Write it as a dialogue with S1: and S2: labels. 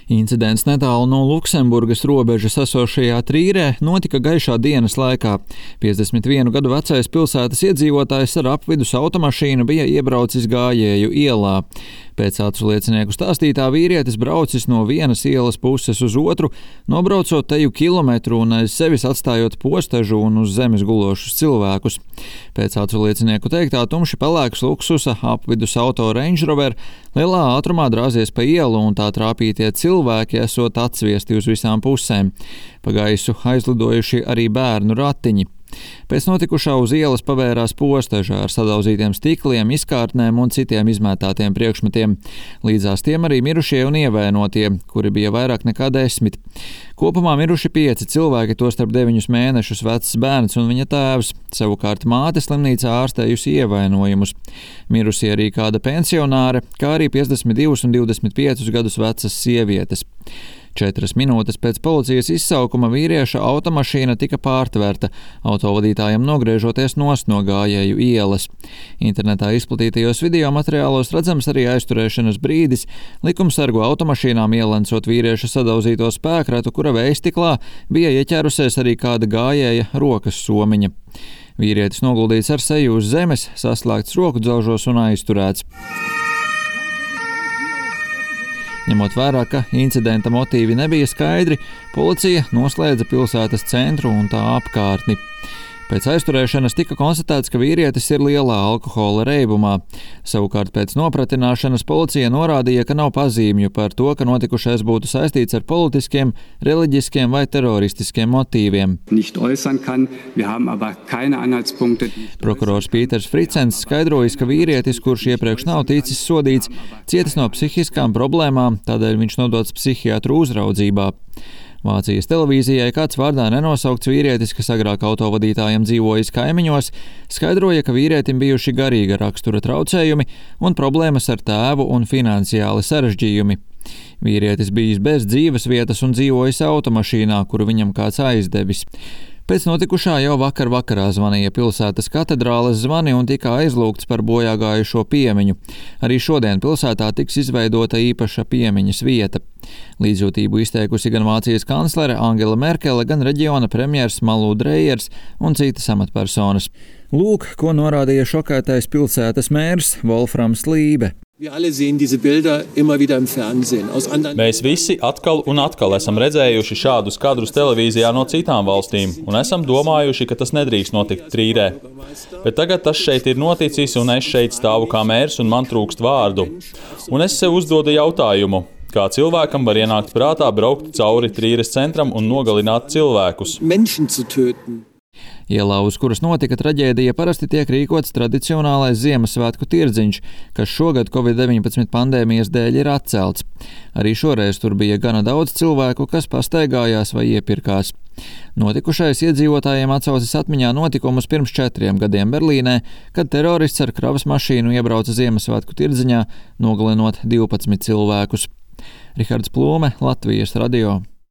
S1: Incidents netālu no Luksemburgas robežas esošajā Trīrē notika gaišā dienas laikā. 51 gadu vecais pilsētas iedzīvotājs ar apvidus automašīnu bija iebraucis Gājēju ielā. Pēc acu liecinieku stāstītā vīrietis braucis no vienas ielas puses uz otru, nobraucot teju kilometru un aiz sevis atstājot postežu un uz zemes gulošus cilvēkus. Pēc acu liecinieku teiktā tumši pelēks luksusa apvidus auto Range Rover lielā ātrumā drāzies pa ielu un tā trāpītie cilvēki esot atsviesti uz visām pusēm. Pa gaisu aizlidojuši arī bērnu ratiņi. Pēc notikušā uz ielas pavērās posteža ar sadauzītiem stikliem, izkārtnēm un citiem izmētātiem priekšmetiem. Līdzās tiem arī mirušie un ievainotie, kuri bija vairāk nekā 10. Kopumā miruši 5 cilvēki, tostarp 9 mēnešus vecs bērns un viņa tēvs. Savukārt māte slimnīcā ārstējusi ievainojumus. Mirusi arī kāda pensionāre, kā arī 52 un 25 gadus vecas sievietes. 4 minūtes pēc policijas izsaukuma vīrieša automašīna tika pārtverta, autovadītājam nogriežoties nost no Gājēju ielas. Internetā izplatītajos video materiālos redzams arī aizturēšanas brīdis, likumsargu automašīnām ielencot vīrieša sadauzīto spēkratu, kura vējstiklā bija ieķērusies arī kāda Gājēja rokas somiņa. Vīrietis noguldīts ar seju uz zemes, saslēgts roku dzelžos un aizturēts. Ņemot vērā, ka incidenta motīvi nebija skaidri, policija noslēdza pilsētas centru un tā apkārtni. Pēc aizturēšanas tika konstatēts, ka vīrietis ir lielā alkohola reibumā. Savukārt pēc nopratināšanas policija norādīja, ka nav pazīmju par to, ka notikušais būtu saistīts ar politiskiem, reliģiskiem vai teroristiskiem motīviem. Prokurors Pīters Fricens skaidrojis, ka vīrietis, kurš iepriekš nav ticis sodīts, cietis no psihiskām problēmām, tādēļ viņš nodots psihiatru uzraudzībā. Vācijas televīzijai kāds vārdā nenosaukts vīrietis, kas agrāk autovadītājiem dzīvojis kaimiņos, skaidroja, ka vīrietim bijuši garīga rakstura traucējumi un problēmas ar tēvu un finansiāli sarežģījumi. Vīrietis bijis bez dzīves vietas un dzīvojis automašīnā, kuru viņam kāds aizdevis. Pēc notikušā jau vakarā zvanīja pilsētas katedrāles zvani un tika aizlūgts par bojāgājušo piemiņu. Arī šodien pilsētā tiks izveidota īpaša piemiņas vieta. Līdzjūtību izteikusi gan Vācijas kanclere Angela Merkele, gan reģiona premjers Malu Drejers un citas amatpersonas. Lūk, ko norādīja šokētais pilsētas mērs Wolframs Lībe.
S2: Mēs visi atkal un atkal esam redzējuši šādus kadrus televīzijā no citām valstīm un esam domājuši, ka tas nedrīkst notikt Trīrē. Bet tagad tas šeit ir noticis un es šeit stāvu kā mērs un man trūkst vārdu. Un es sev uzdodu jautājumu, kā cilvēkam var ienākt prātā braukt cauri Trīres centram un nogalināt cilvēkus.
S1: Ielā, uz kuras notika traģēdija, parasti tiek rīkots tradicionālais Ziemassvētku tirdziņš, kas šogad Covid-19 pandēmijas dēļ ir atcelts. Arī šoreiz tur bija gana daudz cilvēku, kas pastaigājās vai iepirkās. Notikušais iedzīvotājiem atsaucis atmiņā notikumus pirms 4 gadiem Berlīnē, kad terorists ar kravas mašīnu iebrauca Ziemassvētku tirdziņā, nogalinot 12 cilvēkus. Rihards Plūme, Latvijas radio.